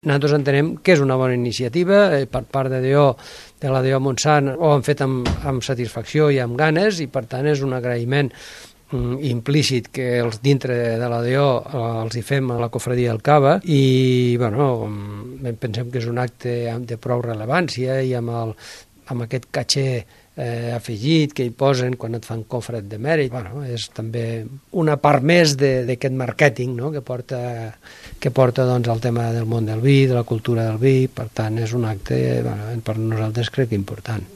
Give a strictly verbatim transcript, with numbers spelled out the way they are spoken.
Nosaltres entenem que és una bona iniciativa, eh, per part de D O, de la D O Montsant, ho han fet amb, amb satisfacció i amb ganes, i per tant és un agraïment mm, implícit que els dintre de la D O eh, els hi fem a la cofradia del Cava, i bueno, pensem que és un acte de prou rellevància i amb, el, amb aquest caché eh, afegit que hi posen quan et fan cofret de mèrit. Bueno, és també una part més d'aquest màrqueting, no?, que porta, que porta doncs, el tema del món del vi, de la cultura del vi. Per tant, és un acte, bueno, per nosaltres crec que important.